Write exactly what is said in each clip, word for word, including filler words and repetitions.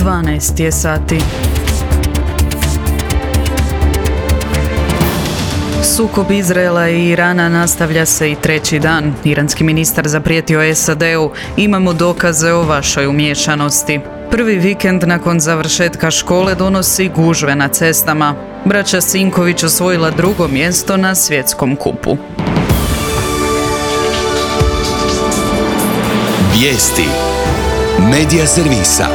dvanaest je sati. Sukob Izraela i Irana nastavlja se i treći dan. Iranski ministar zaprijetio es a de u: imamo dokaze o vašoj umiješanosti. Prvi vikend nakon završetka škole donosi gužve na cestama. Braća Sinković osvojila drugo mjesto na svjetskom kupu. Vijesti Medija servisa.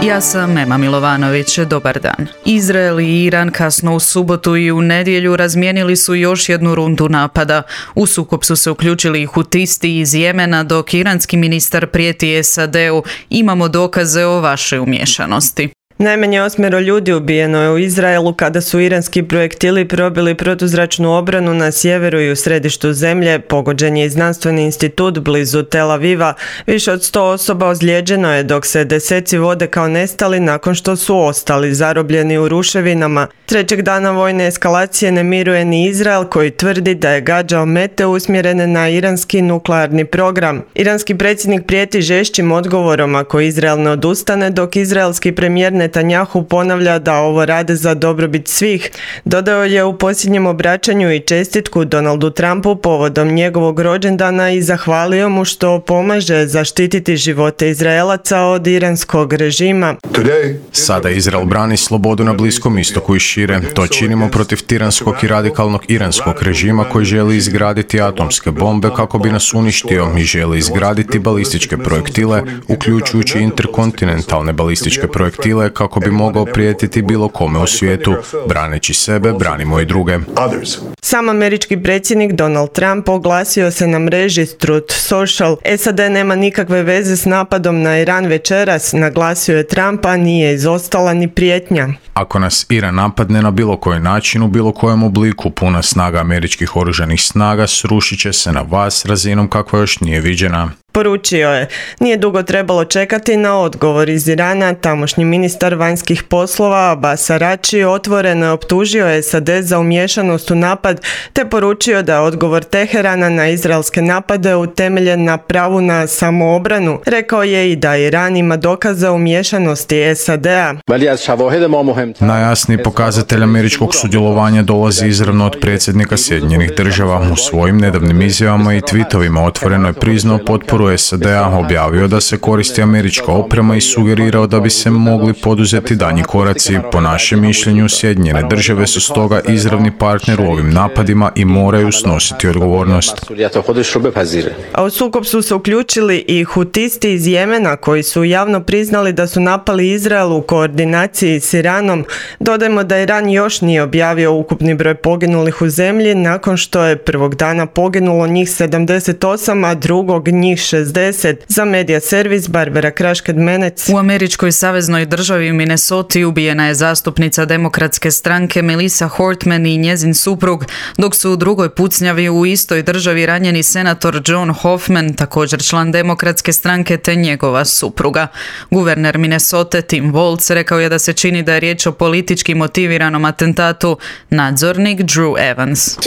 Ja sam Ema Milovanović, dobar dan. Izrael i Iran kasno u subotu i u nedjelju razmijenili su još jednu rundu napada. U sukob su se uključili i hutisti iz Jemena, dok iranski ministar prijeti es a de u: imamo dokaze o vašoj umiješanosti. Najmanje osmero ljudi ubijeno je u Izraelu kada su iranski projektili probili protuzračnu obranu na sjeveru i u središtu zemlje. Pogođen je i znanstveni institut blizu Tel Aviva. Više od sto osoba ozlijeđeno je, dok se deseci vode kao nestali nakon što su ostali zarobljeni u ruševinama. Trećeg dana vojne eskalacije ne miruje ni Izrael, koji tvrdi da je gađao mete usmjerene na iranski nuklearni program. Iranski predsjednik prijeti žešćim odgovorom ako Izrael ne odustane, dok izraelski premijer Netanjahu ponavlja da ovo rade za dobrobit svih. Dodao je u posljednjem obraćanju i čestitku Donaldu Trumpu povodom njegovog rođendana i zahvalio mu što pomaže zaštititi živote Izraelaca od iranskog režima. Sada Izrael brani slobodu na Bliskom istoku i šire. To činimo protiv tiranskog i radikalnog iranskog režima koji želi izgraditi atomske bombe kako bi nas uništio i želi izgraditi balističke projektile, uključujući interkontinentalne balističke projektile, kako bi mogao prijetiti bilo kome u svijetu. Braneći sebe, branimo i druge. Sam američki predsjednik Donald Trump oglasio se na mreži Truth Social: es a de nema nikakve veze s napadom na Iran večeras, naglasio je Trump, a nije izostala ni prijetnja. Ako nas Iran napadne na bilo koji način, u bilo kojem obliku, puna snaga američkih oružanih snaga srušit će se na vas razinom kakva još nije viđena. Poručio je. Nije dugo trebalo čekati na odgovor iz Irana. Tamošnji ministar vanjskih poslova Abbas Araghchi otvoreno je optužio es a de za umiješanost u napad, te poručio da je odgovor Teherana na izraelske napade utemeljen na pravu na samoobranu. Rekao je i da Iran ima dokaze o umiješanosti es a de a. Najjasniji pokazatelj američkog sudjelovanja dolazi izravno od predsjednika Sjedinjenih država. U svojim nedavnim izjavama i tweetovima otvoreno je priznao potporu es a de a, objavio da se koristi američka oprema i sugerirao da bi se mogli poduzeti daljnji koraci. Po našem mišljenju, Sjedinjene države su stoga izravni partner u ovim napadima i moraju snositi odgovornost. A u sukob su se uključili i hutisti iz Jemena, koji su javno priznali da su napali Izrael u koordinaciji s Iranom. Dodajmo da Iran još nije objavio ukupni broj poginulih u zemlji, nakon što je prvog dana poginulo njih sedamdeset osam, a drugog njih šezdeset. Za medija servis Barbara Krašked-Menec. U američkoj saveznoj državi Minnesoti ubijena je zastupnica demokratske stranke Melissa Hortman i njezin suprug, dok su u drugoj pucnjavi u istoj državi ranjeni senator John Hoffman, također član demokratske stranke, te njegova supruga. Guverner Minnesote Tim Walz rekao je da se čini da je riječ o politički motiviranom atentatu. Nadzornik Drew Evans.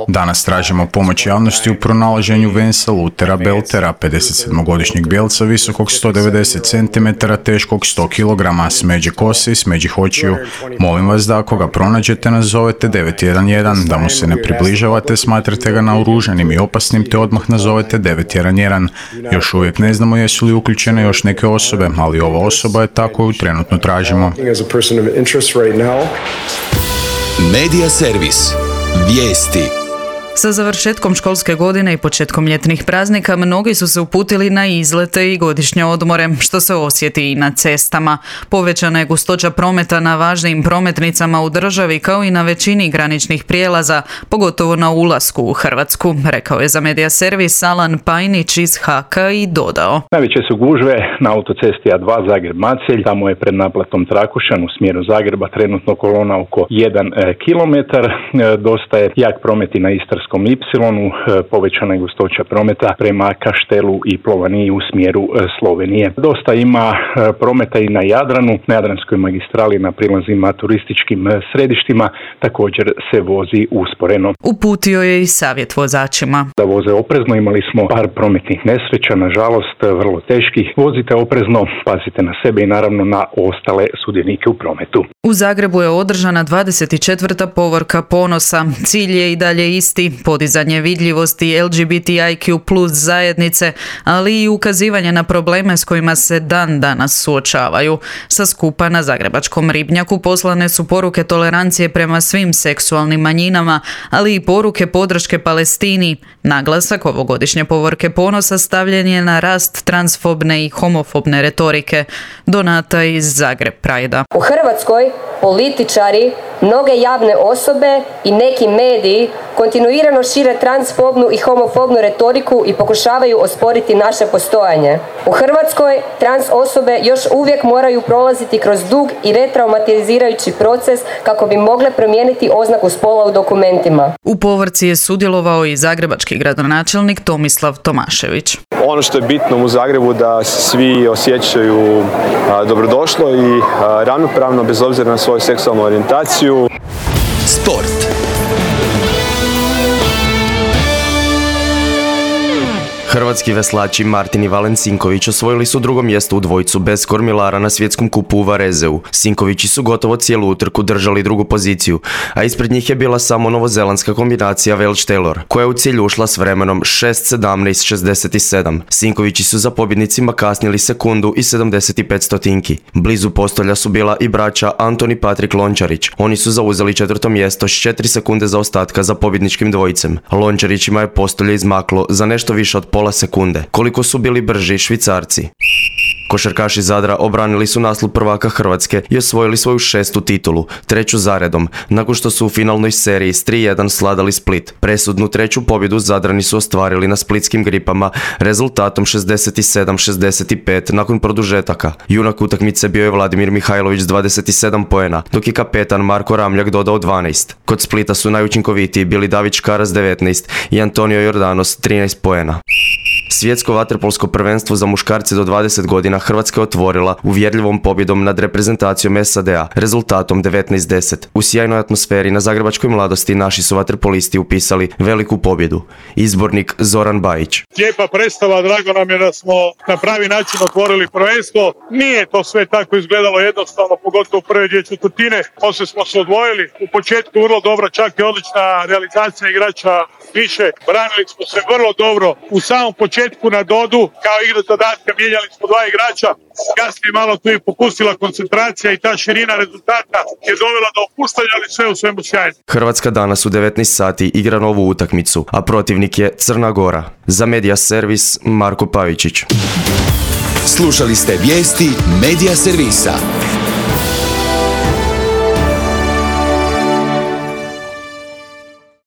Danas tražimo pomoć javnosti u pronalaženju Vensa Lutera Beltera, pedesetsedmogodišnjeg bijelca visokog sto devedeset centimetara, teškog sto kilograma, smeđe kose i smeđih očiju. Molim vas da ako ga pronađete nazovete devet jedan jedan, da mu se ne približavate, smatrate ga naoružanim i opasnim, te odmah nazovete devet jedan jedan. Još uvijek ne znamo jesu li uključene još neke osobe, ali ova osoba je ta koju trenutno tražimo. Medija servis. Vijesti. Sa završetkom školske godine i početkom ljetnih praznika mnogi su se uputili na izlete i godišnje odmore, što se osjeti i na cestama. Povećana je gustoća prometa na važnim prometnicama u državi, kao i na većini graničnih prijelaza, pogotovo na ulasku u Hrvatsku, rekao je za medija servis Alan Pajnić iz Haka i dodao: najveće su gužve na autocesti A dva Zagreb-Macelj, tamo je pred naplatom Trakušan u smjeru Zagreba trenutno kolona oko jedan kilometar. Dosta je jak promet i na Istarskoj Zadarskom Ipsilonu povećana je gustoća prometa prema Kaštelu i Plovaniji u smjeru Slovenije. Dosta ima prometa i na Jadranu, na Jadranskoj magistrali na prilazima turističkim središtima također se vozi usporeno. Uputio je i savjet vozačima. Da voze oprezno, imali smo par prometnih nesreća, nažalost vrlo teških. Vozite oprezno, pazite na sebe i naravno na ostale sudionike u prometu. U Zagrebu je održana dvadeset četvrta povorka ponosa. Cilj je i dalje isti, podizanje vidljivosti L G B T I Q plus zajednice, ali i ukazivanje na probleme s kojima se dan danas suočavaju. Sa skupa na Zagrebačkom Ribnjaku poslane su poruke tolerancije prema svim seksualnim manjinama, ali i poruke podrške Palestini. Naglasak ovogodišnje povorke ponosa stavljen je na rast transfobne i homofobne retorike. Donata iz Zagreb Prajda. U Hrvatskoj političari, mnoge javne osobe i neki mediji kontinuirano šire transfobnu i homofobnu retoriku i pokušavaju osporiti naše postojanje. U Hrvatskoj trans osobe još uvijek moraju prolaziti kroz dug i retraumatizirajući proces kako bi mogle promijeniti oznaku spola u dokumentima. U povorci je sudjelovao i zagrebački gradonačelnik Tomislav Tomašević. Ono što je bitno u Zagrebu da svi osjećaju a, dobrodošlo i a, ravnopravno bez obzira na svoju seksualnu orijentaciju. Sport. Hrvatski veslači Martin i Valen Sinković osvojili su drugo mjesto u dvojcu bez kormilara na svjetskom kupu u Varezeu. Sinkovići su gotovo cijelu utrku držali drugu poziciju, a ispred njih je bila samo novozelandska kombinacija Welch-Taylor, koja je u cilj ušla s vremenom šest sedamnaest šezdeset sedam. Sinkovići su za pobjednicima kasnili sekundu i sedamdeset pet stotinki. Blizu postolja su bila i braća Antoni Patrik Lončarić. Oni su zauzeli četvrto mjesto s četiri sekunde zaostatka za pobjedničkim dvojicem. Lončarićima je postolje izmaklo za nešto više od pola sekunde. Koliko su bili brži Švicarci. Košarkaši Zadra obranili su naslov prvaka Hrvatske i osvojili svoju šestu titulu, treću zaredom, nakon što su u finalnoj seriji s tri jedan sladali Split. Presudnu treću pobjedu Zadrani su ostvarili na splitskim Gripama rezultatom šezdeset sedam šezdeset pet nakon produžetaka. Junak utakmice bio je Vladimir Mihajlović s dvadeset sedam poena, dok je kapetan Marko Ramljak dodao dvanaest. Kod Splita su najučinkovitiji bili David Škara s devetnaest i Antonio Jordanos trinaest poena. Svjetsko vaterpolsko prvenstvo za muškarce do dvadeset godina Hrvatska je otvorila uvjerljivom pobjedom nad reprezentacijom S A D-a rezultatom devetnaest deset. U sjajnoj atmosferi na zagrebačkoj Mladosti naši su vaterpolisti upisali veliku pobjedu. Izbornik Zoran Bajić. Lijepa predstava, drago nam je da smo na pravi način otvorili prvenstvo. Nije to sve tako izgledalo jednostavno, pogotovo u prve dvije četvrtine. Poslije smo se odvojili. U početku vrlo dobro, čak i odlična realizacija igrača više. Branili smo se vrlo dobro. U samom početku na Dodu, kao igra zadatka, mijenjali smo dva igrača. Kasnije malo tu je popustila koncentracija i ta širina rezultata je dovela do opuštanja, ali sve u svemu sjajno. Hrvatska danas u devetnaest sati igra novu utakmicu, a protivnik je Crna Gora. Za Media Servis Marko Pavičić. Slušali ste vijesti Media Servisa.